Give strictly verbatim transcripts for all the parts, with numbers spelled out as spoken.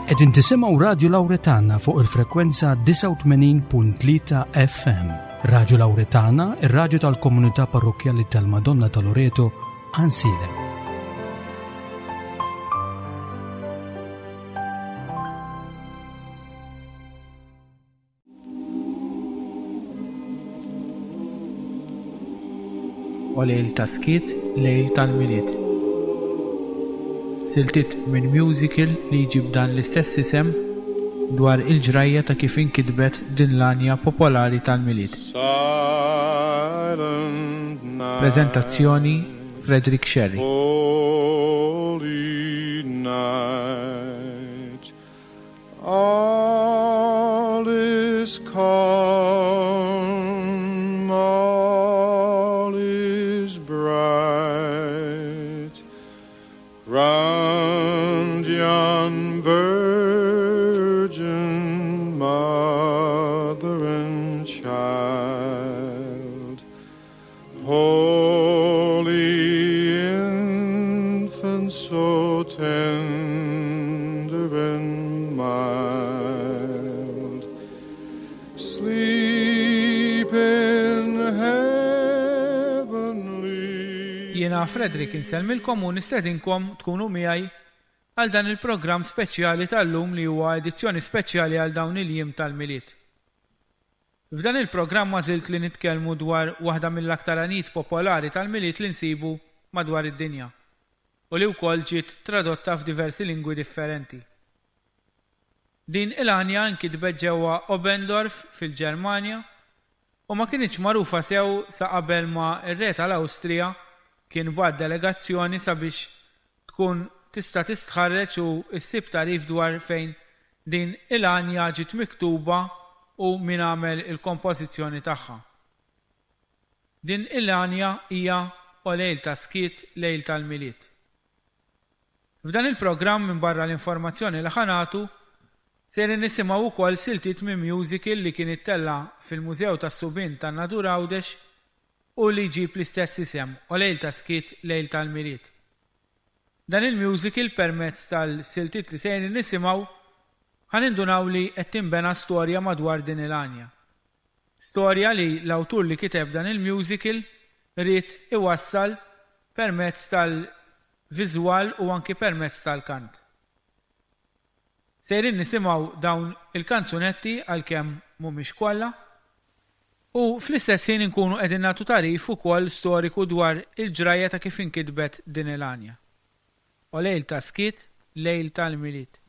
Qegħdin tisimgħu Radju Lawretana fuq il-frekwenza disgħa u tmenin punt tlieta F M. Radju Lawretana, ir-radju tal-komunità parrokkjali tal-Madonna ta' Loreto, Għajnsielem. O lejl ta' skiet, lejl tal-Milied. Siltiet minn musical li jġib dan l-istess isem dwar il-ġrajja ta' kif inkitbet din l-għanja popolari tal-Milied. Silent night. Prezentazzjoni Frederick Scerri. Holy night. All is calm, all is bright. Round yon virgin mother and child, holy infant, so tender and mild, sleep in heavenly. Jiena Frederick insellmilkom u nistedinkom tkunu miegħi għal dan il-programm speċjali tal-lum li huwa edizzjoni speċjali għal dawn il-jiem tal-Milied. F'dan il-programm għażilt li nitkellmu dwar waħda mill-aktar għanijiet popolari tal-Milied li nsibu madwar id-dinja u li wkoll ġiet tradotta f'diversi lingwi differenti. Din il-għanja nkitbet ġewwa Oberndorf fil-Ġermanja u ma kinitx magħrufa sew sa qabel ma r-re tal-Awstrija kien bagħat delegazzjoni sabiex tkun tista' tistħarreġ u ssib tagħrif dwar fejn din il-għanja ġiet miktuba u min għamel il-kompożizzjoni tagħha. Din il-għanja hija O lejl ta' skiet, lejl tal-Milied. F'dan il-programm minn barra l-informazzjoni li ħanatu sejrin nisimgħu wkoll siltiet minn musical li kien ittella' fil-Mużew tas-Subien tan-Nadur Għawdex u li jġib l-istess isem, O lejl ta' skiet, lejl tal-Milied. Dan il-musical permezz tal-siltiet li sejrin nisimgħu ħanindunaw li qed tinbena storja madwar din il-għanja. Storja li l-awtur li kiteb dan il-musical ried iwassal permezz tal-viżwal u anki permezz tal-kant. Sejrin nisimgħu dawn il-kanzunetti għalkemm mhumiex kollha u fl-istess ħin inkunu qegħdin nagħtu tagħrif ukoll storiku dwar il-ġrajja ta' kif inkitbet din il-għanja. O lejl ta' skiet, lejl tal-Milied.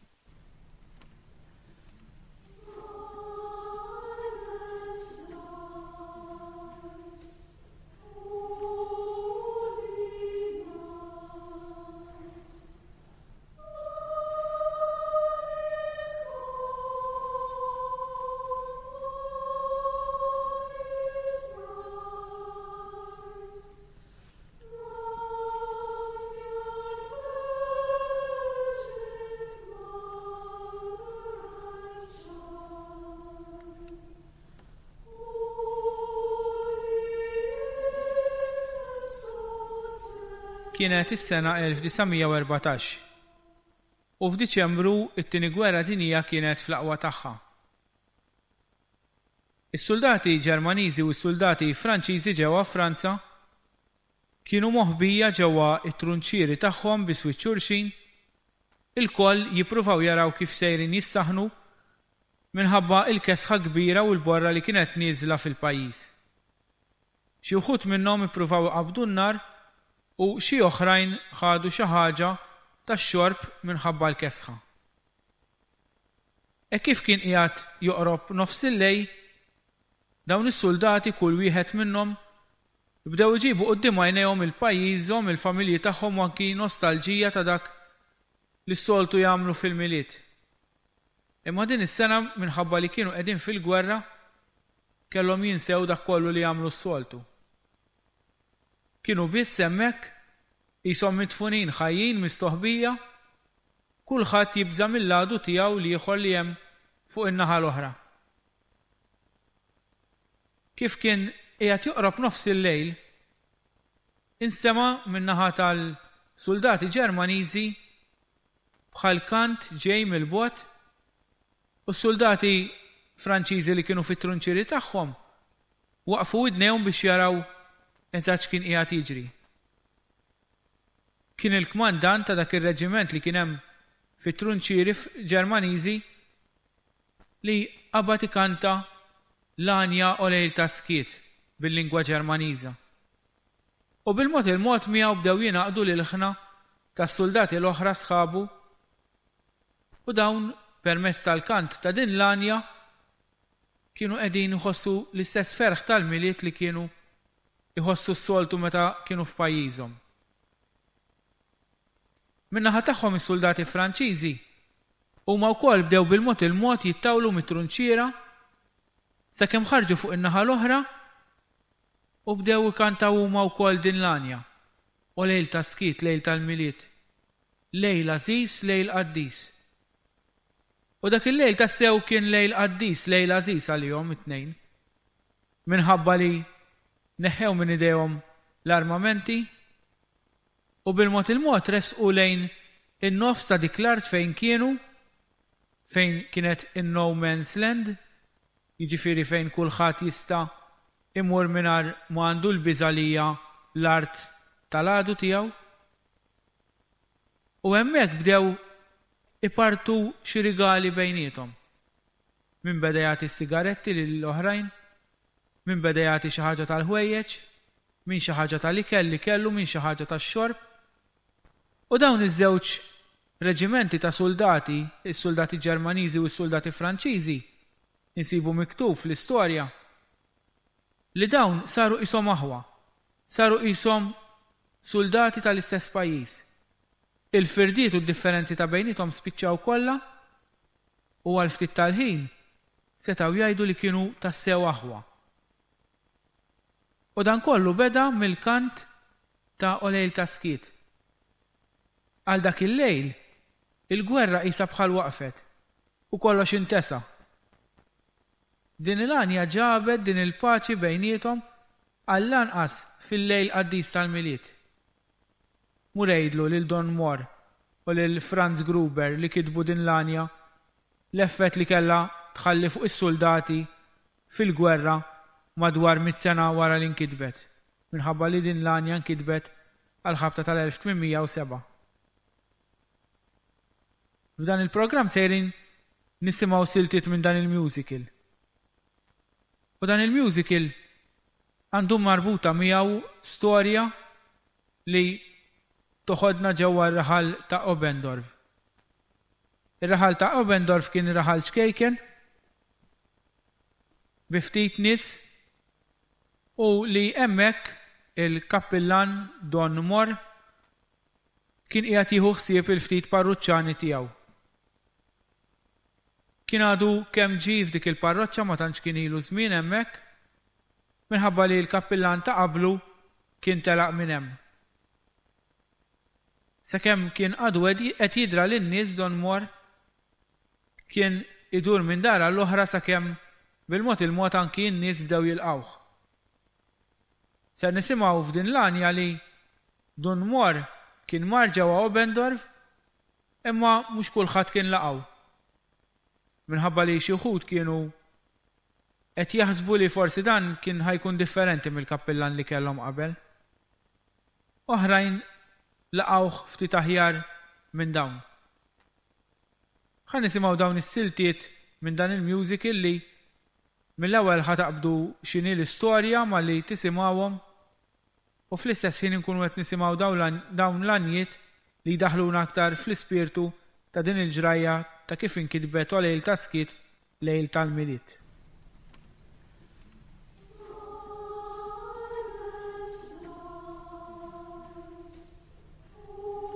Kienet is-sena elf disa' mija u erbatax u f'Diċembru it-tieni gwerra dinjija kienet fl-aqwa tagħha. Is-soldati Ġermaniżi u s-soldati Franċiżi ġewwa Franza kienu moħbija ġewwa t-trunċieri tagħhom bi swiċċ xulxin, ilkoll jippruvaw jaraw kif sejrin jissaħnu minħabba l-kesħa kbira u l-borra li kienet nieżla fil-pajjiż. Xi wħud minnhom ippruvaw iqabdu n-nar u xi oħrajn ħadu xi ħaġa tax-xorb minħabba l-kesħa. E kif kien qiegħed joqrob nofs il-lejl, dawn is-soldati kull wieħed minnhom bdew iġibu quddiem għajnejhom il-pajjiżhom, il-familji tagħhom u anki nostalġija ta' dak li s-soltu jagħmlu fil-Milied. Imma din is-sena minħabba li kienu qegħdin fil-gwerra kellhom jinsew dak kollu li jagħmlu s-soltu. Kienu biss hemmhekk qishom midfunin ħajjin mistoħbija, kulħadd jibża' mill-għadu tiegħu l-ieħor li hemm fuq in-naħa l-oħra. Kif kien qiegħed joqrob nofs il-lejl, insema' min-naħa tal-soldati Ġermaniżi bħal kant ġej mill-bogħod u s-soldati Franċiżi li kienu fit-trunċieri tagħhom waqfu widnejhom biex jaraw eżatt x'kien qiegħed jiġri. Kien il-kmandant ta' dak ir-reġiment li kien hemm fit-trunċieri Ġermaniżi li qabad ikanta l-għanja O Lejl ta' Skiet bil-lingwa Ġermaniża. U bil-mod il-mod miegħu bdew jingħaqdu l-ilħna tas-soldati l-oħra sħabu u dawn permezz tal-kant ta' din l-għanja kienu qegħdin iħossu l-istess ferħ tal-Milied li kienu iħossu s-soltu meta kienu f'pajjiżhom. Min-naħa tagħhom is-soldati Franċiżi huma wkoll bdew bil-mod il-mod jittawlu mit-trunċiera sakemm ħarġu fuq in-naħa l-oħra u bdew ikantaw huma wkoll din l-għanja. O lejl ta' skiet, lejl tal-Milied, lejl għażiż, lejl qaddis. U dak il-lejl tassew kien lejl qaddis, lejl għażiż għalihom it-tnejn. Minħabba li neħħew minn idejhom l-armamenti u bil-mod il-mod resqu lejn in-nofs ta' dik l-art fejn kienu, fejn kienet in-no man's land, jiġifieri fejn kulħadd jista' imur mingħajr ma għandu l-biża' li hija l-art tal-għadu tiegħu. U hemmhekk bdew ipartu xi rigali bejniethom. Min beda jagħti s-sigaretti lill-oħrajn, min beda jagħti xi ħaġa tal-ħwejjeġ, min xi ħaġa tal-ikel li kellu, min xi ħaġa tax-xorb. U dawn iż-żewġ reġimenti ta' soldati, is-soldati Ġermaniżi u s-soldati Franċiżi, insibu miktub fl-istorja li dawn saru qishom aħwa, saru qishom soldati tal-istess pajjiż. Il-firdiet u d-differenzi ta' bejniethom spiċċaw kollha u għal ftit tal-ħin setgħu jgħidu li kienu tassew aħwa. U dan kollu beda mill-kant ta' O Lejl ta' Skiet. Għal dak il-lejl, il-gwerra qisha bħal waqfet u kollox intesa. Din il-għanja ġabet din il-paċi bejniethom għall-anqas fil-lejl qaddis tal-Milied. Mur għidlu lil Don Mohr u lil Franz Gruber li kitbu din l-għanja l-effett li kellha tħalli fuq is-soldati fil-gwerra madwar mitt sena wara li nkitbet, minħabba li din l-għanja nkitbet għal-ħabta tal-elf tmien mija u sebgħa. F'dan il-programm sejrin nisimgħu siltiet minn dan il-musical. U dan il-musical għandu marbuta miegħu storja li toħodna ġewwa r-raħal ta' Obendorf. Ir-raħal ta' Obendorf kien raħal ċkejken bi ftit nies u li hemmhekk il-kappillan Don Mohr kien qiegħed jieħu ħsieb il-ftit parruċċani tiegħu. Kien għadu kemm ġie f'dik il-parroċċa, ma tantx kien ilu żmien hemmhekk, minħabba li l-kappillan ta' qablu kien telaq minn hemm. Sakemm kien għadu qed jidra lin-nies, Don Mohr kien idur minn dar għall-oħra sakemm bil-mod il-mod anki n-nies bdew jilqawh. Ser nisimgħu f'din l-għanja li Don Mohr kien mar ġewwa Obendorf, imma mhux kulħadd kien laqgħu. Minħabba li xi wħud kienu qed jaħsbu li forsi dan kien ħajkun differenti mill-kappillan li kellhom qabel. Oħrajn laqgħuh ftit aħjar minn dawn. Ħa nisimgħu dawn is-siltiet minn dan il-musical li mill-ewwel ħa taqbdu x'inhi l-istorja malli tisimgħuhom u fl-istess ħin inkunu qed nisimgħu dawn l-għanjiet li jdaħħluna aktar fl-ispirtu ta' din il-ġrajja ta' kif inkitbet O Lejl ta' Skiet, Lejl tal-Milied.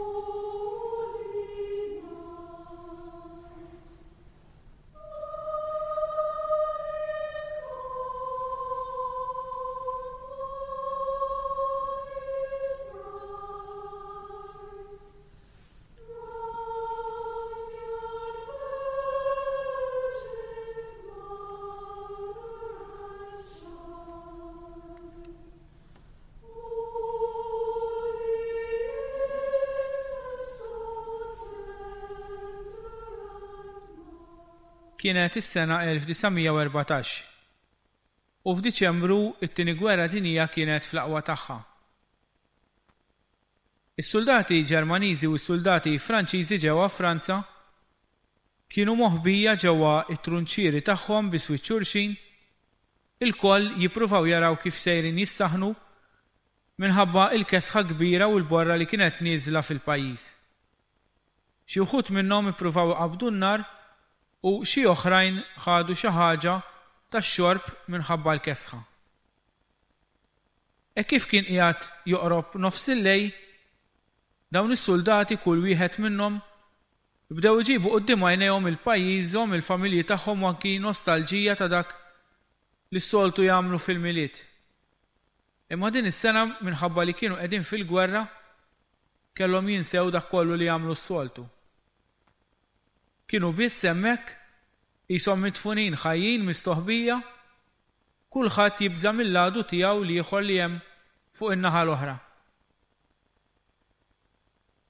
Thank you. Kienet is-sena elf disa' mija u erbatax u f'Diċembru it-Tieni Gwerra Dinjija kienet fl-aqwa tagħha. Is-soldati Ġermaniżi u s-soldati Franċiżi ġewwa Franza kienu moħbija ġewwa it-trunċieri tagħhom bi swiċċ xulxin, ilkoll jippruvaw jaraw kif sejrin jissaħnu minħabba il-kesħa kbira u l-borra li kienet nieżla fil-pajjiż. Xi wħud minnhom ippruvaw iqabbdu n-nar u xi oħrajn ħadu xi ħaġa tax-xorb minħabba l-kesħa. E kif kien qiegħed joqrob nofs il-lejl, dawn is-soldati kull wieħed minnhom bdew iġibu quddiem għajnejhom il-pajjiżhom, il-familji tagħhom u anki nostalġija ta' dak li s-soltu jagħmlu fil-Milied. Imma din is-sena minħabba li kienu qegħdin fil-gwerra kellhom jinsew dak kollu li jagħmlu s-soltu. Kienu biss hemmhekk qishom midfunin ħajjin mistoħbija, kulħadd jibża' mill-għadu tiegħu l-ieħor li hemm fuq in-naħa l-oħra.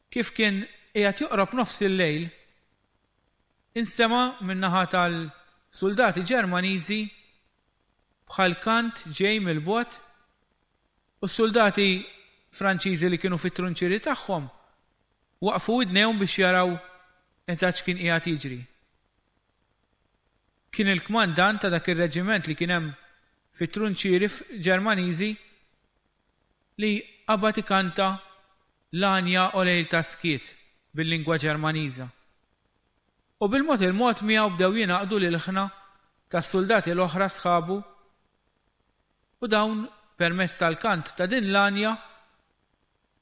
Kif kien qiegħed joqrob nofs il-lejl, insema' min-naħa tal-soldati Ġermaniżi bħal kant ġej mill-bogħod u s-soldati Franċiżi li kienu fit-trunċieri tagħhom waqfu widnejhom biex jaraw eżatt x'kien qiegħed jiġri. Kien il-kmandant ta' dak ir-reġiment li kien hemm fit-trunċieri Ġermaniżi li qabad ikanta l-għanja o lejl ta' skiet bil-lingwa Ġermaniża. U bil-mod il-mod miegħu bdew jingħaqdu l-ilħna tas-soldati l-oħra sħabu u dawn permezz tal-kant ta' din l-għanja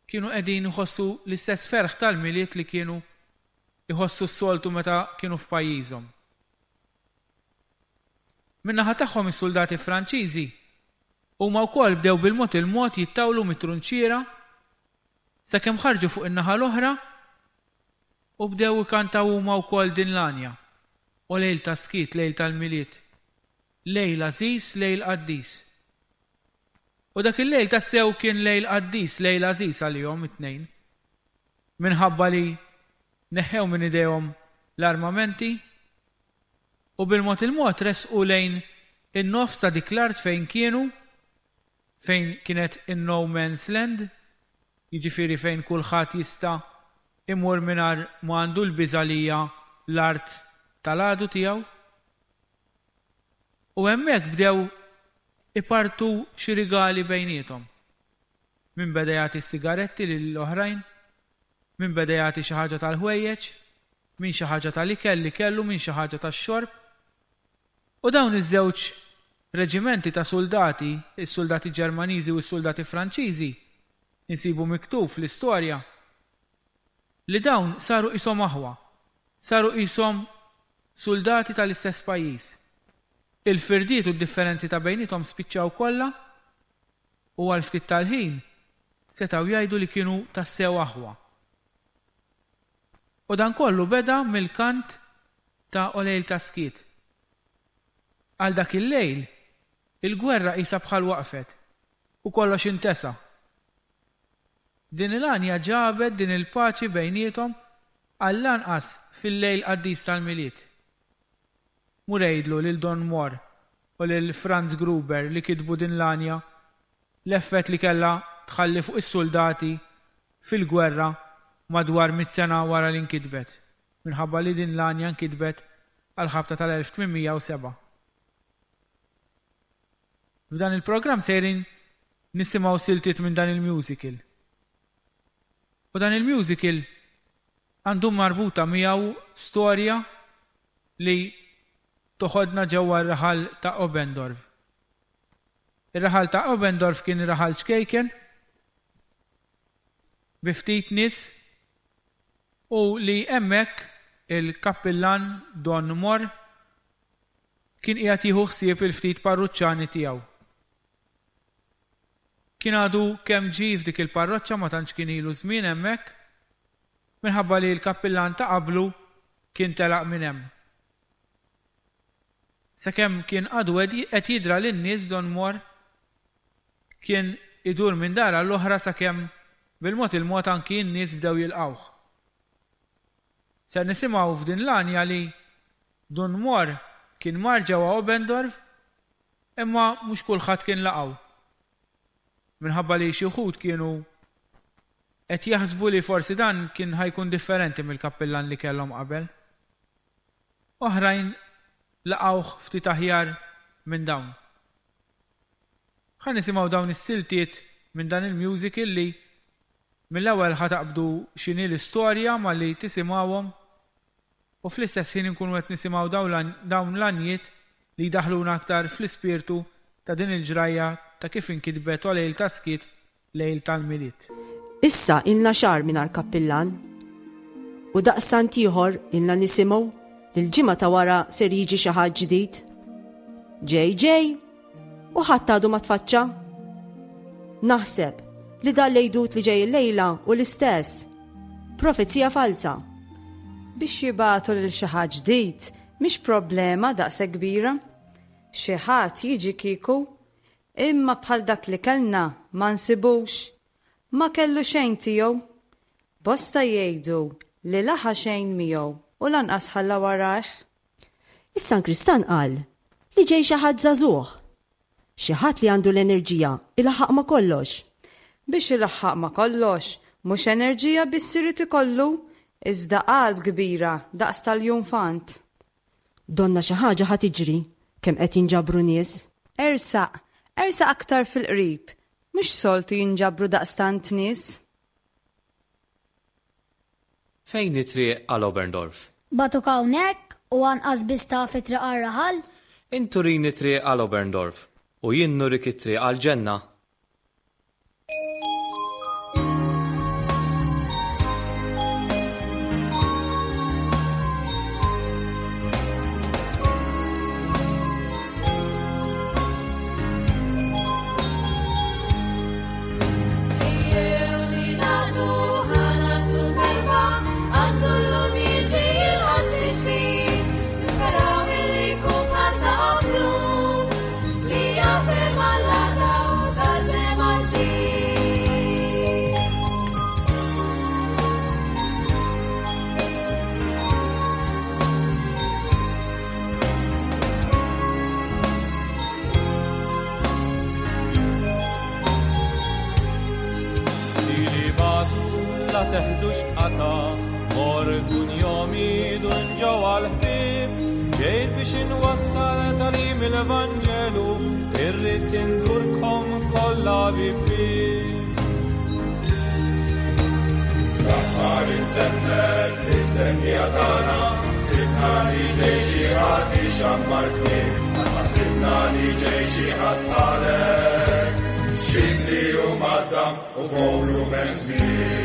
kienu qegħdin iħossu l-istess ferħ tal-Milied li kienu iħossu s-soltu meta kienu f'pajjiżhom. Min-naħa tagħhom is-soldati Franċiżi huma wkoll bdew bil-mod il-mod jittawlu mit-trunċiera sakemm ħarġu fuq in-naħa l-oħra u bdew ikantaw huma wkoll din l-għanja. O lejl ta' skiet, lejl tal-Milied, lejl għażiż, lejl qaddis. U dak il-lejl tassew kien lejl qaddis, lejl għażiż għalihom it-tnejn. Minħabba li neħħew minn idejhom l-armamenti u bil-mod il-mod resqu lejn in-nofs ta' dik l-art fejn kienu, fejn kienet in-no man's land, jiġifieri fejn kulħadd jista' imur mingħajr ma għandu l-biża' li hija l-art tal-għadu tiegħu. U hemmhekk bdew ipartu xi rigali bejniethom. Min beda jagħti s-sigaretti lill-oħrajn, min beda jagħti xi ħaġa tal-ħwejjeġ, min xi ħaġa tal-ikel li kellu, min xi ħaġa tax-xorb. U dawn iż-żewġ reġimenti ta' soldati, is-soldati Ġermaniżi u s-soldati Franċiżi, insibu miktub fl-istorja li dawn saru qishom aħwa, saru qishom soldati tal-istess pajjiż. Il-firdiet u d-differenzi ta' bejniethom spiċċaw kollha u għal ftit tal-ħin setgħu jgħidu li kienu tassew aħwa. U dan kollu beda mill-kant ta' O lejl ta' skiet. Għal dak il-lejl, il-gwerra qisha bħal waqfet u kollox intesa. Din il-għanja ġabet din il-paċi bejniethom għall-anqas fil-lejl qaddis tal-Milied. Mur għidlu lil Don Mohr u lil Franz Gruber li kitbu din l-għanja l-effett li kellha tħalli fuq is-soldati fil-gwerra madwar mitt sena wara li nkitbet, minħabba li din l-għanja nkitbet għal-ħabta tal-elf tmien mija u sebgħa. F'dan il-programm sejrin nisimgħu siltiet minn dan il-musical. U dan il-musical għandu marbuta miegħu storja li toħodna ġewwa r-raħal ta' Oberndorf. Ir-raħal ta' Oberndorf kien raħal ċkejken bi ftit nies u li hemmhekk il-kappillan Don Mohr kien qiegħed jieħu ħsieb il-ftit parruċċani tiegħu. Kien għadu kemm ġie f'dik il-parroċċa ma tantx kien ilu żmien hemmhekk minħabba li l-kappillan ta' qablu kien telaq minn hemm. Sakemm kien għadu qed jidra lin-nies Don Mohr kien idur minn dar għall-oħra sakemm bil-mod il-mod anki n-nies bdew jilqawh. Ser nisimgħu f'din l-għanja li Dun Mor kien mar ġewwa Oberndorf imma mhux kulħadd kien laqgħu. Minħabba li xi wħud kienu qed jaħsbu li forsi dan kien ħa jkun differenti mill-kappillan li kellhom qabel. Oħrajn laqgħuh ftit aħjar minn dawn. Ħa nisimgħu dawn is-siltiet minn dan il-musical li mill-ewwel ħa taqbdu x'inhi l-istorja malli tisimgħuhom u fl-istess ħin inkunu qed nisimgħu dawn l-għanjiet li jdaħħluna aktar fl-ispirtu ta' din il-ġrajja ta' kif inkitbet O Lejl ta' Skiet, Lejl tal-Milied. Issa ilna xahar mingħajr kappillan u daqstant ieħor ilna nisimgħu li l-ġimgħa ta' wara ser jiġi xi ħadd ġdid. Ġej ġej u ħadd għadu ma tfaċċa. Naħseb li dan l-għidut li ġej illejla u l-istess. Profezija falsa. Biex jibagħtu lil xi ħadd ġdid mhix problema daqshekk kbira. Xi ħadd jiġi kieku, imma bħal dak li kellna ma nsibux. Ma kellu xejn tiegħu. Bosta jgħidu li laħa xejn miegħu u lanqas ħalla warajh. Is-sankristan qal li ġej xi ħadd żagħżugħ. Xi ħadd li għandu l-enerġija ilaħħaq ma' kollox. Biex ilaħħaq ma' kollox, mhux enerġija biss irid ikollu, iżda qalb kbira daqs tal-iljunfant. Donna xi ħaġa ħa tiġri kemm qed jinġabru nies. Ersaq, ersaq aktar fil-qrib, mhux soltu jinġabru daqstant nies. Fejn it-triq għal Oberndorf? Bagħtuk hawnhekk u anqas biss taf it-triq għar-raħal? Int urini triq għal Oberndorf u jien nurik it-triq għall-ġenna. Teħdux qata, mor kun jomi dun ġewwa l-ħbieb, ġejt biex inwassal tagħlim il-Vanġelu, irrid indurkom kollha bibbieb. Fl-aħħar intemmet l-istennija tagħna, sibna li ġej xi ħadd ixammar knieb, sibna li ġej xi ħadd bħalek, xibli u maddam u fowlu mezmin.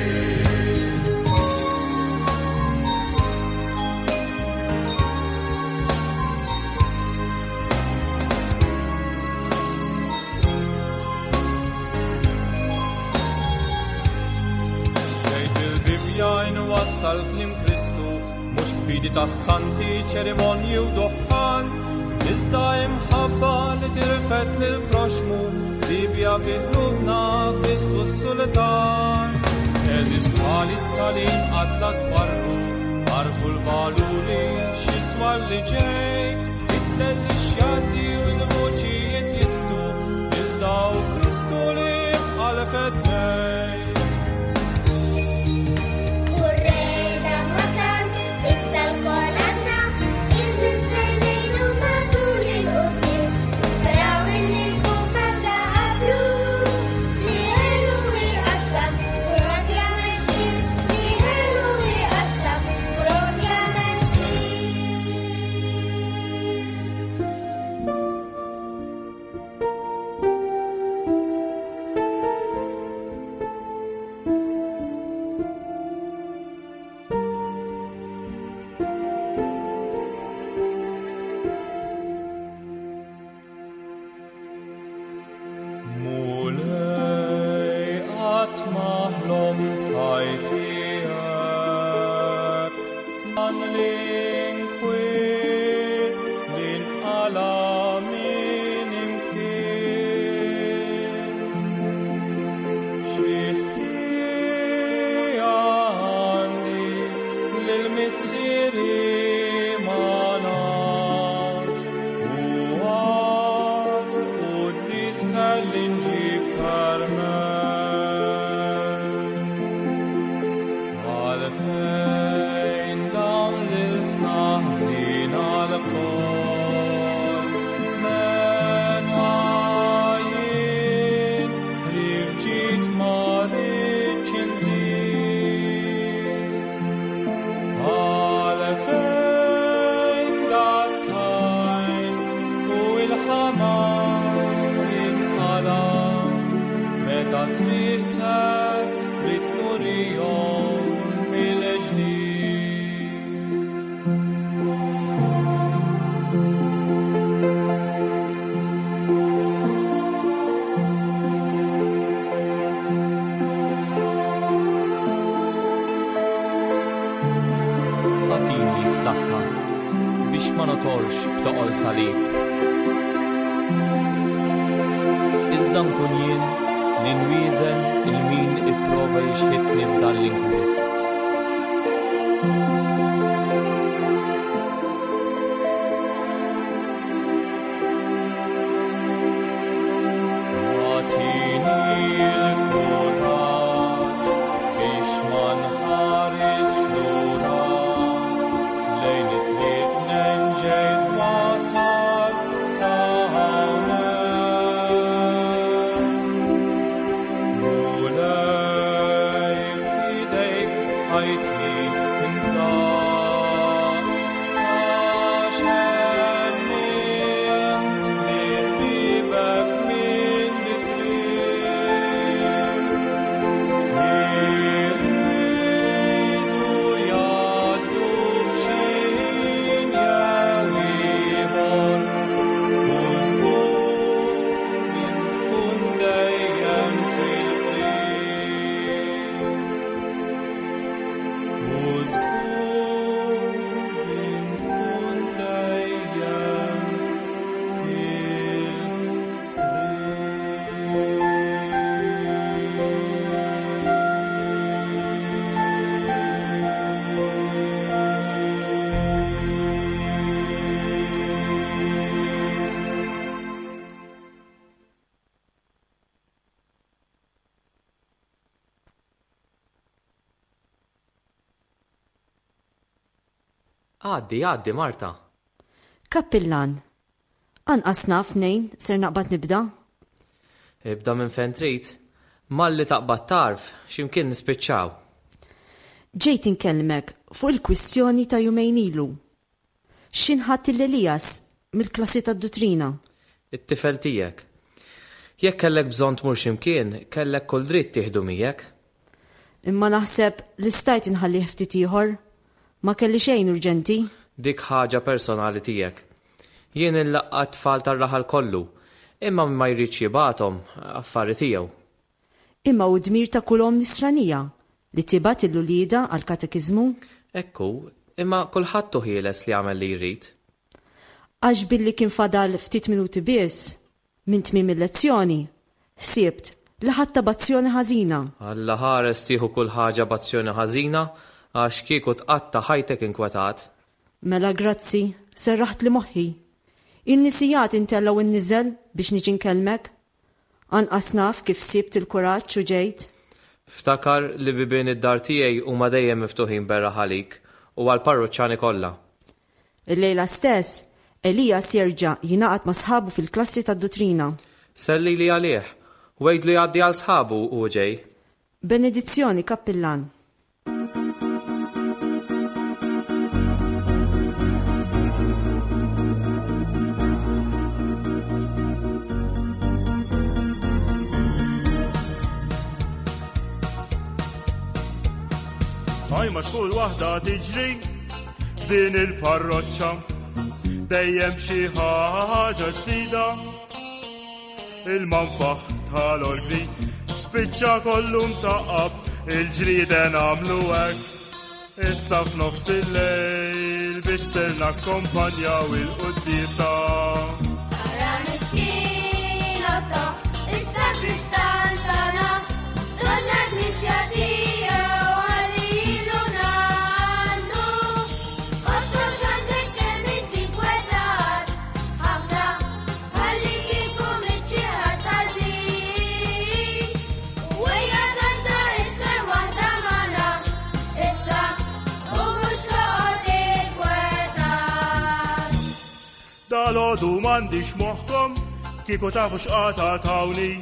Wassal klim Kristu, mhux fidi tas-santi, ċerimonji u duħħan, iżda imħabba li tirfet lil proxmu, Bibja fi qlubna Kristu s-sultan. Eżis tali t-talim qatt la twarru, għarfu l-valuri x'jiswa li ġej, it-tell li xjaddi u l-voċijiet jisktu, iżda u Kristu li jibqa' l-fednej. s-saħħa biex ma notorx b'toqol salib. Iżda nkun jien li nwieżen il min ipprova jixħitni f'dan l-inkwiet. Agħtini l-kuraġġ biex ma nħares lura lejn it-triq ġejt wasal sa hawnhekk. Mulej f'idejk ħajti intlaq għax emmint li ħbibek minn it-triq. Iridu jgħaddu f'xi ħin jew ieħor u żgur int tkun dejjem fil-qrib. U żgur int tkun dejjem Għaddi, għaddi, Marta. Kappillan, anqas naf mnejn ser naqbad nibda. Ibda minn fejn trid. Malli taqbad tarf, x'imkien nispiċċaw. Ġejt inkellmek fuq il-kwistjoni ta' jumejn ilu. X'inħadd lil Elias mill-klassi tad-duttrina. It-tifel tiegħek. Jekk kellek bżonn tmur x'imkien, kellek kull dritt tieħdu miegħek. Imma naħseb li stajt inħallih ftit ieħor. Ma kelli xejn urġenti. Dik ħaġa personali tiegħek. Jien inlaqqa' t-tfal tar-raħal kollu, imma ma jridx jibgħathom affari tiegħu. Imma hu dmir ta' kull omm nisranija li tibgħat lil uliedha għall-katekiżmu. Ekku, imma kulħadd hu ħieles li jagħmel li jrid. Għax billi kien fadal ftit minuti biss minn tmiem il-lezzjoni, ħsibt li ħadtha b'azzjoni ħażina. Alla ħares tieħu kull ħaġa b'azzjoni ħażina għax kieku tqatta' ħajtek inkwetat. Mela grazzi, serraħt li moħħi. Il-nisijat intellgħu n-niżel biex niġi nkellmek. Anqas naf kif sibt il-kuraġġ u ġejt. Ftakar li bibien id-dar tiegħi huma dejjem miftuħin berra ħalik u għall-parruċċani kollha. Il-lejla stess, Elias jerġa' jingħaqad ma' sħabu fil-klassi tad-duttrina. Selli li għalih, u għidlu jgħaddi għal sħabu u ġej. Benedizzjoni, kappillan. Għaj ma xkull waħda tiġri f'din il-parroċċa, dejjem xi ħaġa ġdida. Il-manfaħ tal-orgni spiċċa kollu mtaqqab, il-ġrieden għamlu hekk. Issa f'nofs il-lejl biex ser nakkompanjaw il-quddiesa. Ara miskin Otto, issa kristal tagħna, donna l-knisja tiegħu ħallilu nannu. Otto x'għandek kemm inti kwetat, ħafna ħalli kieku miċ-xi ħadd għażiż. U ejja kanta isfer waħda magħna, issa u mhux toqgħod inkwetat. Dalgħodu m'għandix moħħkom, kieku tafu x'qata tawni,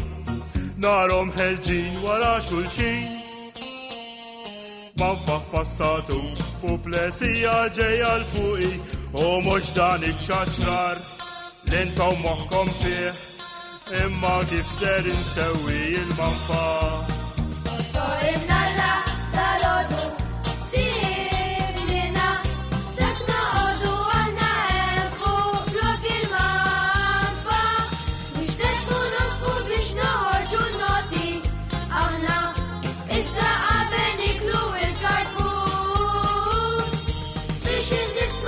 narhom ħelġin wara xulxin. Manfaħ passatu u plesija ġejja l fuqi, u mhux dan iċ-ċaċrar li intom moħħkom fih, imma kif ser insewwi il-manfaħ. Otto imnalla dalgħodu, simlina, dak noqogħdu aħna hemm fuq flok il-manfaħ. Mhux tekku nofqu biex noħorġu n-noti, aħna iżda qabel niklu il-karfus. Biex indislu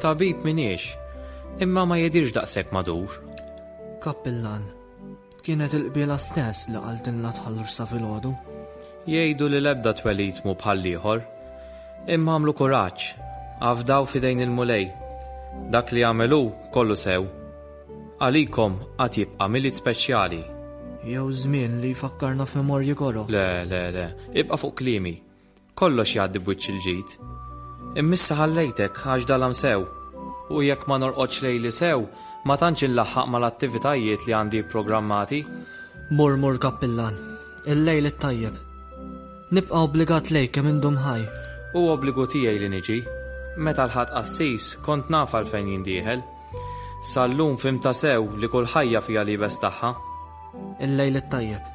Tabib m'iniex, imma ma jidhirx daqshekk madur. Kappillan, kienet il-qbiela stess li qaltilna tħallux sa filgħodu. Jgħidu li l-ebda twelid mhu bħal ieħor, imma għamlu kuraġġ, afdaw f'idejn il-Mulej. Dak li għamel hu kollu sew. Għalikom għad jibqa' Milied speċjali. Jew żmien li jfakkarna f'memorji koroh. Le, le, le, ibqa' fuq kliemi. Kollox jgħaddi b'wiċċ il-ġid. Immissa ħallejtek għax dalam sew. U jekk ma norqodx lejli sew, ma tantx inlaħħaq mal-attivitajiet li għandi programmati. Mur, mur, kappillan, il-lejl it-tajjeb. Nibqa' obbligat lejk kemm indum ħaj. U obbligu tiegħi li niġi. Meta l-ħadd qassis kont naf għalfejn jindieħel. Sal-lum fhimta sew li kull ħajja fiha libes tagħha. Il-lejl it-tajjeb.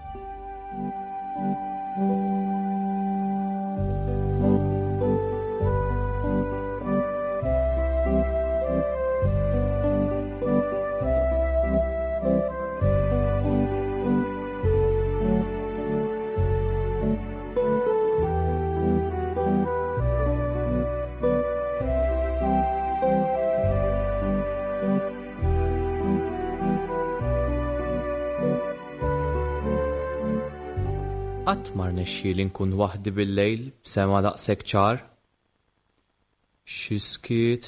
Qatt ma rnexxieli nkun waħdi bil-lejl b'sema daqshekk ċar. Xi skiet.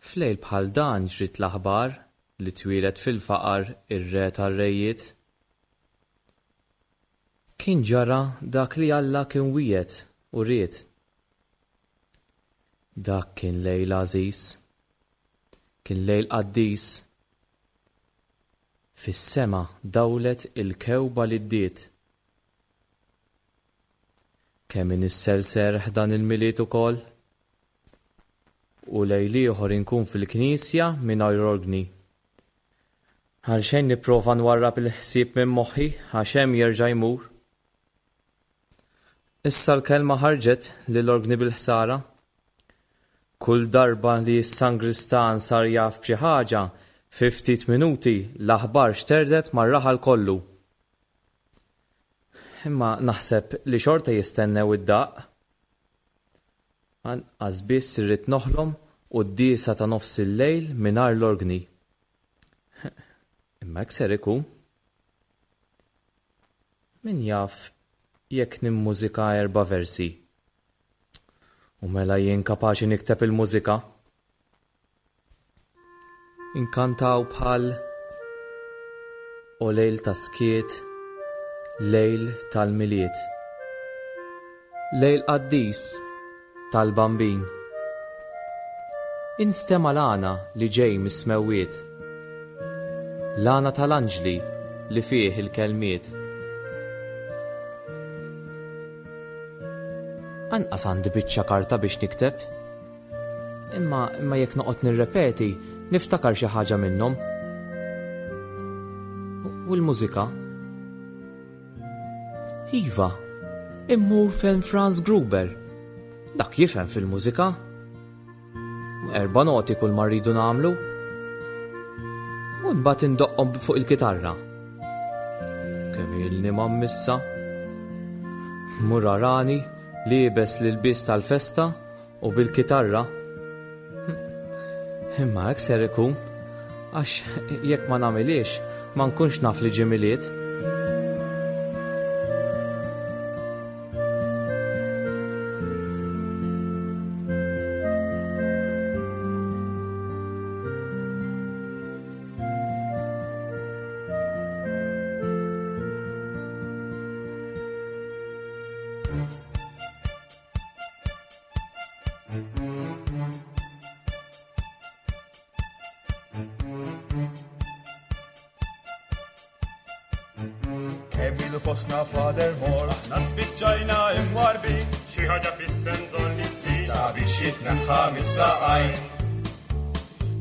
F'lejl bħal dan ġriet l-aħbar li twieled fil-faqar ir-re tar-rejiet. Kien ġara dak li Alla kien wiegħed u ried. Dak kien lejl għażiż, kien lejl qaddis. Fis-sema dawlet il-kewba li ddiet. Kemm inissel serħ dan il-Milied ukoll? U lejl ieħor inkun fil-knisja mingħajr organi. Għalxejn nipprova nwarrab il-ħsieb minn moħħi għax hemm jerġa' jmur. Issa l-kelma ħarġet lill-organi bil-ħsara. Kull darba li s-sangristan sar jaf b'xi ħaġa, fi ftit minuti l-aħbar xterdet mar-raħal kollu. Imma naħseb li xorta jistennew id-daqq. Anqas biss irrid noħlom u d-diesa ta' nofs il-lejl mingħajr l-organi. Imma hekk ser ikun. Min jaf jekk nimmużika erba' versi. U mela jien kapaċi nikteb il-mużika. Inkantaw bħal O lejl ta' skiet, lejl tal-Milied. Lejl qaddis tal-Bambin. Instema' l-għana li ġej mis-smewwiet. L-għana tal-anġli li fih il-kelmiet. Anqas għandi biċċa karta biex nikteb. Imma, imma jekk noqgħod nirrepeti, niftakar xi ħaġa minnhom. U l-mużika? Iva, immur fejn Franz Gruber. Dak jifhem fil-mużika. Erba' noti kull ma rridu nagħmlu. U mbagħad indoqqhom fuq il-kitarra. Kemm ilni ma mmissa. Mur arani liebes l-ilbies tal-festa u bil-kitarra. Imma hekk ser ikun, għax jekk ma nagħmilhiex ma nkunx naf li ġie Milied. Kemm ilu fostna Father Moore, aħna spiċċajna imwarbi, xi ħaġa fis-senżon li ssir sabiex jitneħħa mis-saqajn.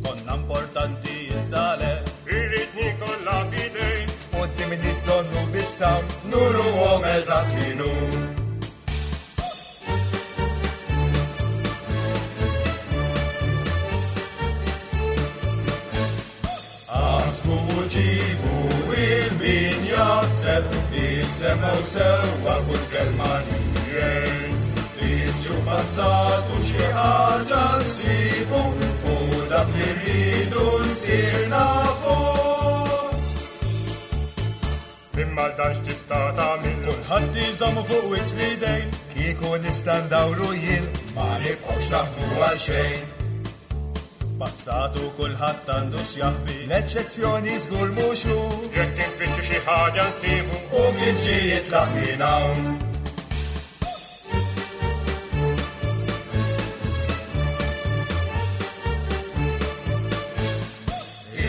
Konna importanti issa le, irrid nikolla bidejn, quddiem in-nies donnu bissam, nuruhom eżatt min hu. Aħsbu u ġibu il-min jaħseb, jisemgħu sewwa kull kelma li jgħid. Fittxu passat u xi ħaġa nsibu u dak li rridu nsir nafu. Imma dan x'tista' tagħmel Kulħadd iżommu fuq wiċċ l-idejn, kieku nista' ndawru jien, ma nibqgħux naħdmu għal xejn. Passatu kulħadd għandu x'jaħbi, l-eċċezzjoni żgur mhux hu. Jekk infittxu xi ħaġa nsibu u kif ġie jitlaq minn hawn.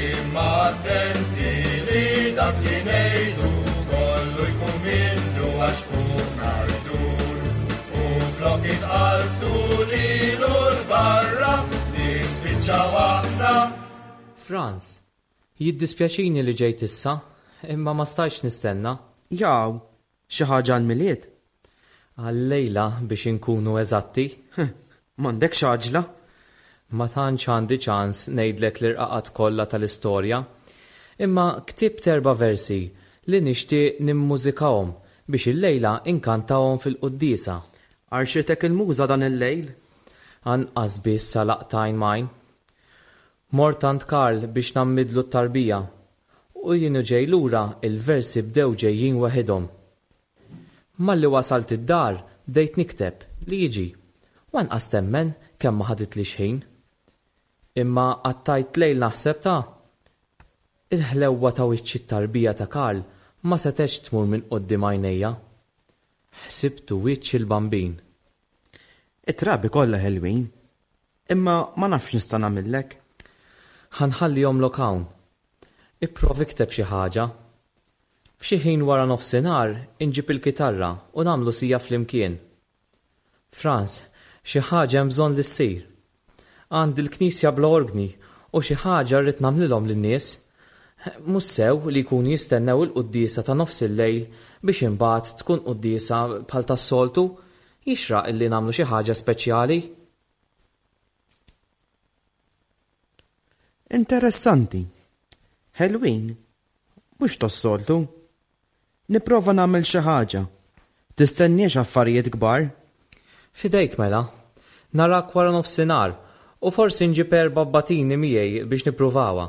Imma attenti li dak li ngħidu kollu jkun minnu għax fuqna jdur. U flok inqaltu lilu l-barra nispiċċaw aħna. Franz, jiddispjaċini li ġejt issa, imma ma stajtx nistenna. Jaw, xi ħaġa għall-Milied? Għal-lejla biex inkunu eżatti. M'għandekx għaġla? Ma tantx għandi ċans ngħidlek l-irqaqat kollha tal-istorja, imma ktibt erba' versi li nixtieq nimmużikahom biex illejla inkantahom fil-quddiesa. Għarxitek il-muża dan il-lejl? Anqas biss għalaqt għajn m'għajn. Mort għand Karl biex nammidlu t-tarbija u jien u ġej lura il-versi bdew ġejjin waħedhom. Malli wasalt id-dar bdejt nikteb li jiġi u anqas temmen kemm ma ħaditlix ħin. Imma qattajt lejl naħseb ta' il-ħlewwa ta' wiċċ it-tarbija ta' Karl ma setgħetx tmur minn quddiem għajnejja. Ħsibtu wiċċ il-bambin. It-trabi kollha ħelwin, imma ma nafx nista' nagħmillek. Ħa nħallihomlok hawn. Ipprova ikteb xi ħaġa. F'xi ħin wara nofsinhar inġib il-kitarra u nagħmlu sija flimkien. Franz, xi ħaġa hemm bżonn li ssir. Għandi l-knisja bla orgni u xi ħaġa rrid nagħmlilhom lin-nies. Mhux sew li jkunu jistennew il-quddiesa ta' nofs il-lejl biex imbagħad tkun quddiesa bħal tas-soltu, jixraq illi nagħmlu xi ħaġa speċjali. Interessanti. Ħelwin, mhux tas-soltu. Nipprova nagħmel xi ħaġa. Tistenniex affarijiet kbar. Fidejk mela. Narak wara nofsinhar u forsi nġib erba' batini miegħi biex nippruvawha.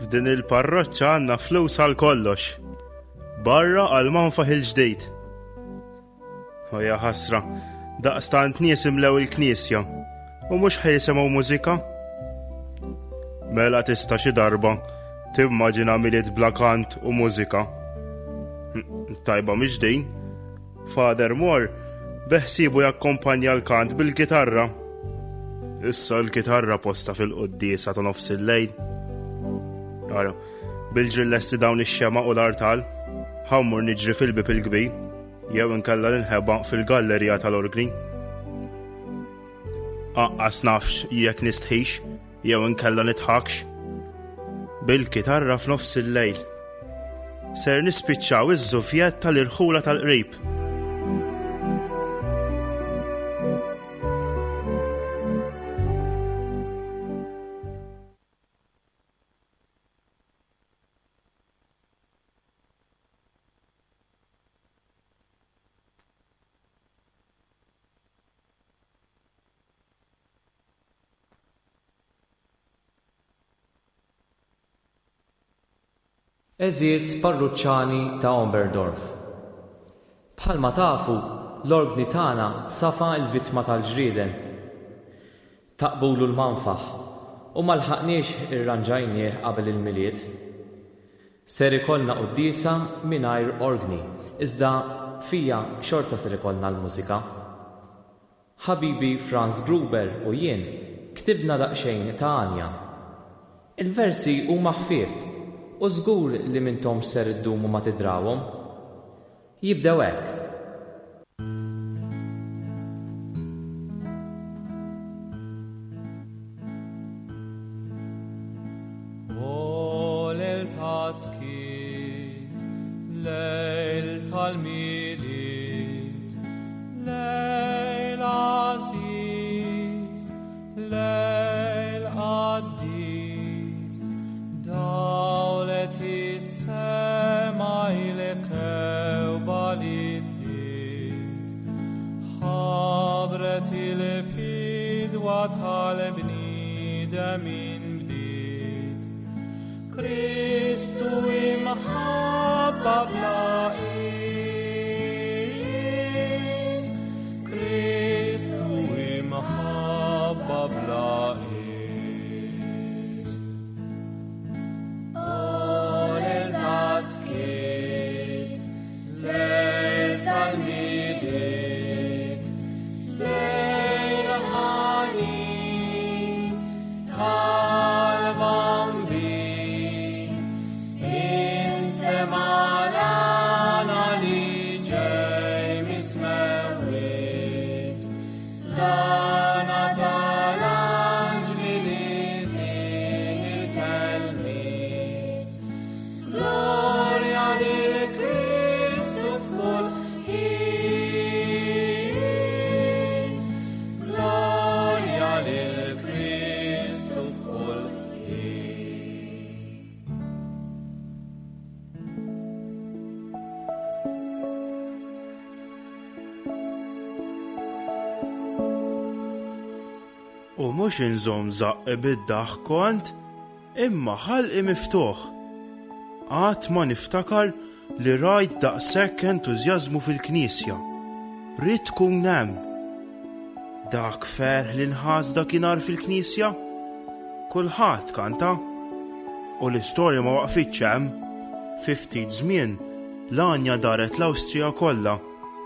F'din il-parroċċa għandna flus għal kollox. Barra għal manfaħ il-ġdid. O ja ħasra, daqstant nies imlew il-knisja u mhux ħa jisimgħu mużika. Mela tista' xi darba timmaġina Milied bla kant u mużika. Tajba mhix din. Father Moore beħsibu jakkompanja l-kant bil-kitarra. Issa l-kitarra posta fil-quddiesa ta' nofs il-lejl. Ara, bil-ġillesti dawn ix-xema u l-artal, ħa mmur niġri fil-bib il-kbir, jew inkella ninħeba fil-gallerija tal-orgni. Anqas nafx jekk nistħix, jew inkella nidħakx. Bil-kitarra f'nofs il-lejl. Ser nispiċċaw iż-żufjett tal-irħula tal-qrib. Għeżież parruċċani ta' Oberndorf. Bħalma tafu, l-orgni tagħna safa l-vittma tal-ġrieden. Taqbulu l-manfaħ u ma lħaqniex irranġajnieh qabel il-Milied. Ser ikollna quddiesa mingħajr orgni, iżda fija xorta ser ikollna l-mużika. Ħabibi Franz Gruber u jien ktibna daqsxejn ta' għanja. Il-versi huma ħfief u żgur li m'intomx ser iddumu ma tidrawhom. Jibdew hekk. O lejl ta' skiet, lejl tal-Milied, lejl għażiż, lejl qaddis, dawlet is-sema il-kewba li ddiet, ħabret il-fidwa tal-bniedem inbdiet. Kristu imħabba bla qies, Kristu imħabba bla qies. O lejl ta' skiet, lejl tal-Milied, lejl ħanin tal-Bambin, instema' l-għana li ġej mis-smewwiet, l-għana tal-anġli li fih il-kelmiet. Glorja lil Kristu f'kull ħin, glorja lil Kristu f'kull ħin. U mhux inżomm żaqqi bid-daħk kont, imma ħalqi miftuħ. Qatt ma niftakar li rajt daqshekk entużjażmu fil-knisja. Ridt tkun hemm. Dak ferħ li nħass dakinhar fil-knisja. Kulħadd kanta. U l-istorja ma waqfitx hemm. Fi ftit żmien, l-għanja daret l-Awstrija kollha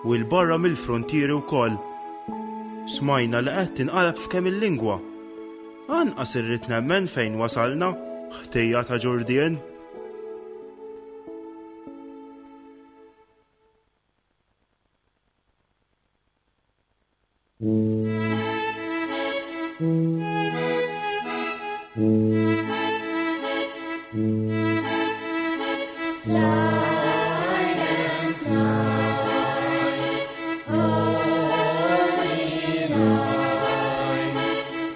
u 'l barra mill-frontieri wkoll. Smajna li qed tinqaleb f'kemm il-lingwa. Anqas irrid nemmen fejn wasalna, ħtija ta' Ġurdien. Silent night, holy night,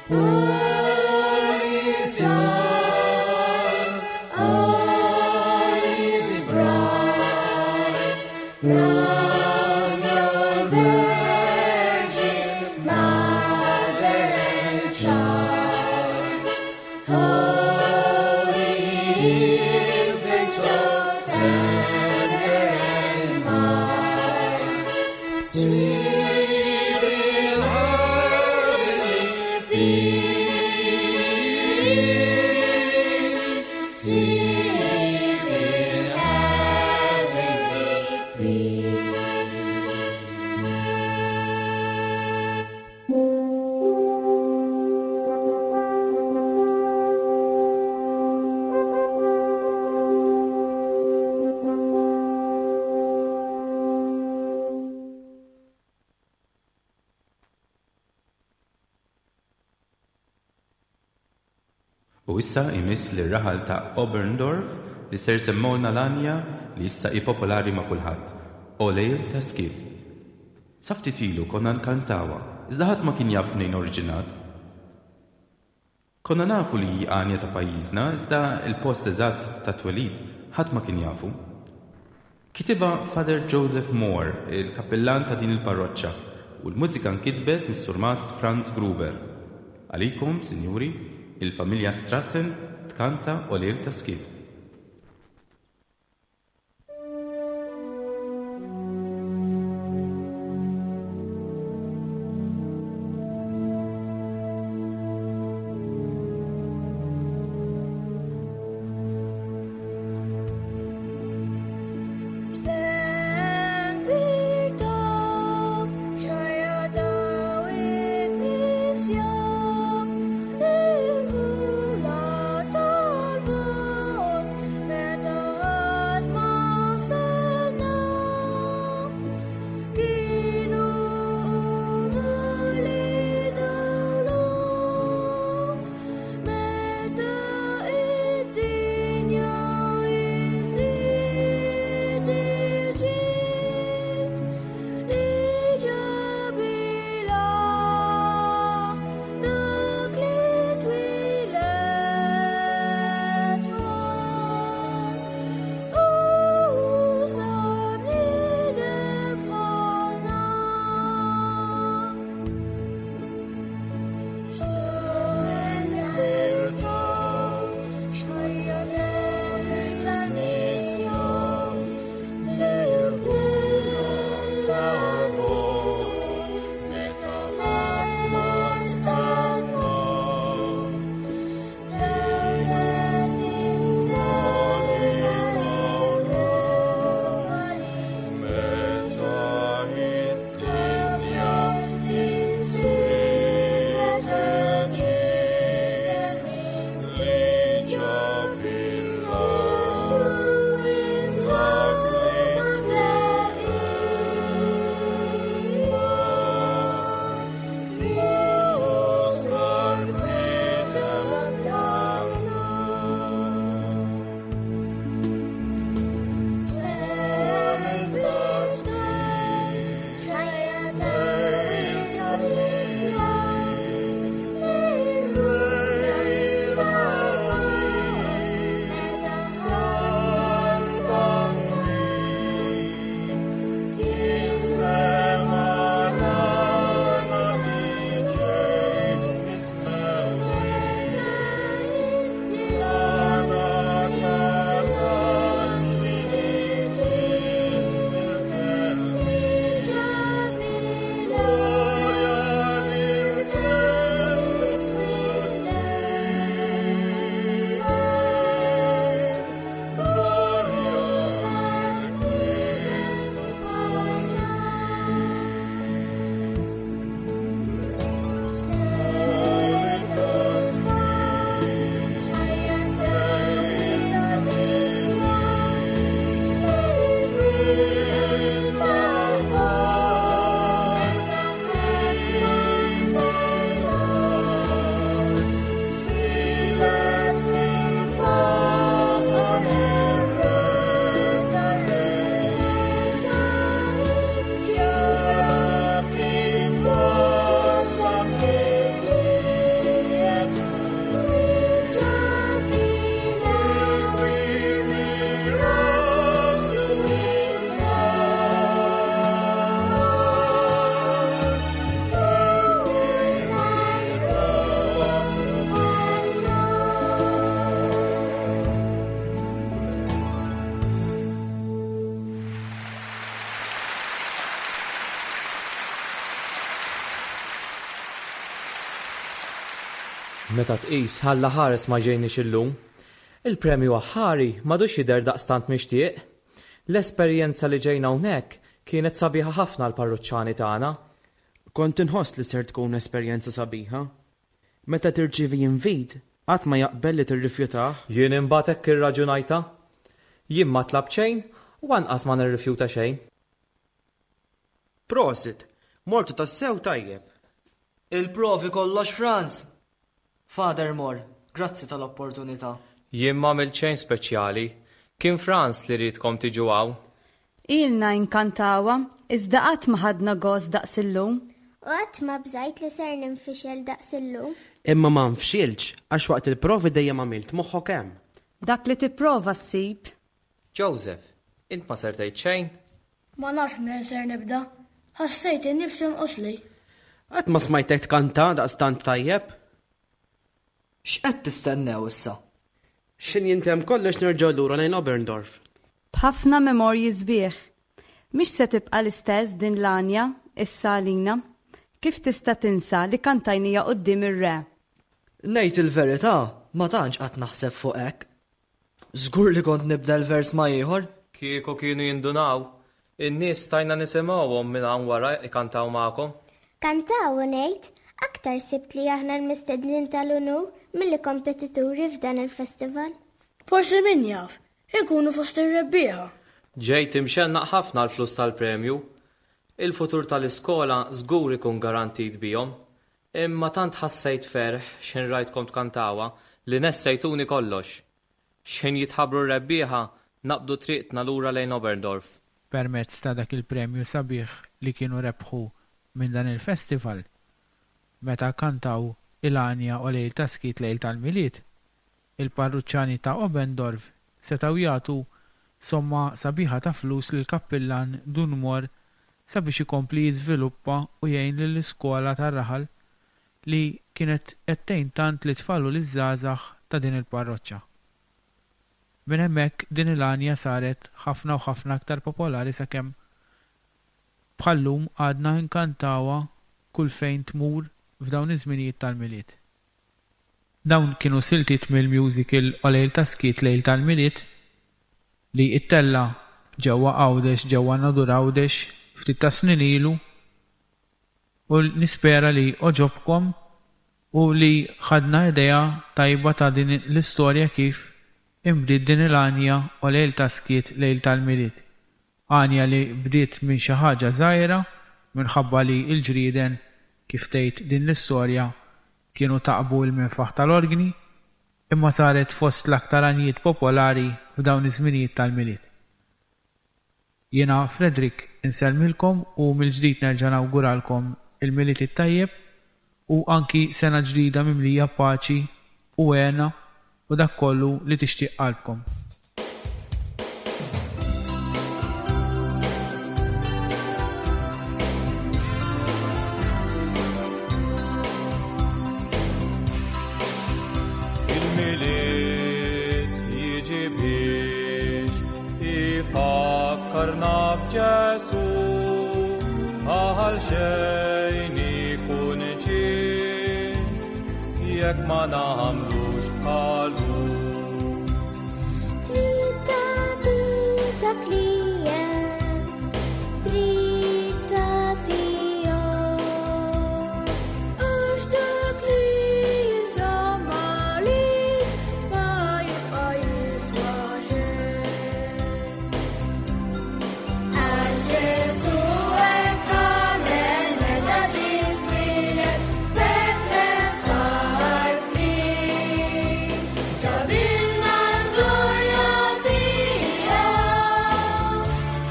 all is dark, all is bright, round your virgin mother and child. Holy infant, so tender and mild, sleep in heavenly peace, sleep in heavenly peace. U issa imiss lir raħal ta' Oberndorf li ser semmolna l-għanja li issa hi popolari ma' kulħadd, O lejl ta' skiet. Sa ftit ilu konna nkantawha, iżda ħadd ma kien jaf mnejn oriġinat. Konna nafu li hi għanja ta' pajjiżna, iżda il-post eżatt ta' twelid ħadd ma kien jafu. Kitibha Father Joseph Moore, il-kappillan ta' din il-parroċċa, u l-mużika nkitbet mis-surmast Franz Gruber. Għalikom, sinjuri, il-familja Strassen tkanta O lejl ta' skiet. Shaya Meta tqis ħalla ħares ma ġejniex illum. Il-premju aħħari m'għadux jidher daqstant mixtieq. L-esperjenza li ġejna hawnhekk kienet sabiħa ħafna għall-parruċċani tagħna. Kont inħoss li ser tkun esperjenza sabiħa. Meta tirċievi invit, qatt ma jaqbel li tirrifjutah. Jien imbagħad hekk irraġunajta. Jien ma tlabt xejn u anqas ma nirrifjuta xejn. Prosit, mortu tassew tajjeb. Il-provi kollox Franz. Father Moore, grazzi tal-opportunità. Jien ma għamilt xejn speċjali. Kien Franz li riedkom tiġu hawn. Ilna inkantawha, iżda qatt ma ħadna gost daqs illum. U qatt ma bżajt li ser ninfixel daqs illum. Imma ma nfxilx għax waqt il-provi dejjem għamilt moħħok hemm. Dak li tipprova ssib. Joseph, int ma ser tgħid xejn? Ma nafx minn ser nibda. Ħassejt innifsi nqosli. Qatt ma smajtek tkanta daqstant tajjeb. X'qed tistennew issa? X'ħin jintemm kollox nerġgħu lura lejn Oberndorf. B'ħafna memorji sbieħ. Mhix se tibqa' l-istess din l-għanja issa għalina. Kif tista' tinsa li kantajnija quddiem ir-re? Ngħid il-verità, ma tantx qatt naħseb fuq hekk. Żgur li kont nibdel vers ma' ieħor. Kieku kienu jindunaw, in-nies stajna nisimgħuhom minn hawn wara ikantaw magħkom. Kantaw u ngħid, aktar sibt li aħna l-mistednin tal-unur milli kompetituri f'dan il-festival. Forsi min jaf, inkunu fost ir-rebbieħa. Ġejt imxennaq ħafna l-flus tal-premju. Il-futur tal-iskola żgur ikun garantit bihom. Imma tant ħassejt ferħ x'ħin rajtkom tkantawha li nessejtuni kollox. X'ħin jitħabbru r-rebbieħa naqbdu triqtna lura lejn Oberndorf. Permezz ta' dak il-premju sabiħ li kienu rebħu minn dan il-festival, meta kantaw il-għanja u lejl ta' skiet lejl tal-Milied, il-parruċċani ta' Oberndorf setgħu jagħtu somma sabiħa ta' flus lil kappillan Dun Moore sabiex ikompli jiżviluppa u jgħin lill-iskola tar-raħal li kienet qed tgħin tant lit-tfal u liż-żgħażagħ ta' din il-parroċċa. Minn hemmhekk din il-għanja saret ħafna u ħafna aktar popolari sakemm bħallum għadna nkantawha kull fejn tmur f'dawn iż-żminijiet tal-Milied. Dawn kienu siltiet mill-musical O Lejl ta' Skiet Lejl tal-Milied li ittella ġewwa Għawdex, ġewwa Nadur Għawdex ftit ta' snin ilu, u nispera li oġobkom u li ħadna idea tajba ta' din l-istorja kif imbdiet din il-għanja O Lejl ta' Skiet Lejl tal-Milied. Għanja li bdiet minn xi ħaġa żgħira minħabba li l-ġrieden, kif tgħid din l-istorja, kienu taqbu l-minfaħ tal-organi, imma saret fost l-aktar għanjiet popolari f'dawn iż-żminijiet tal-Milied. Jiena Frederick insellmilkom u mill-ġdid nerġa' nawguralkom il-Milied it-tajjeb u anki sena ġdida mimlija paċi u hena u dak kollu li tixtieq qalbkom. Il-Milied jiġi biex ifakkarna f'Ġesù, għal xejn ikun ġie jekk ma nagħmlux bħalu. Trid tagħti dak li hemm, trid tagħtihom. Għax dak li jinżamm għalik ma jibqa' jiswa xejn. Għax Ġesù hekk għamel meta ġie twieled Betlehem f'għar ftit. Ġabilna l-glorja tiegħu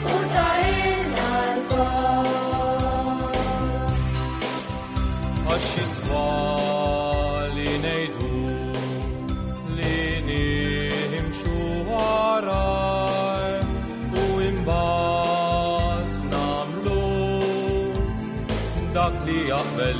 u tahilna l-kor. Għax jiswa li ngħidu li nimxu waraj u imbagħad nagħmlu dak li jaqbel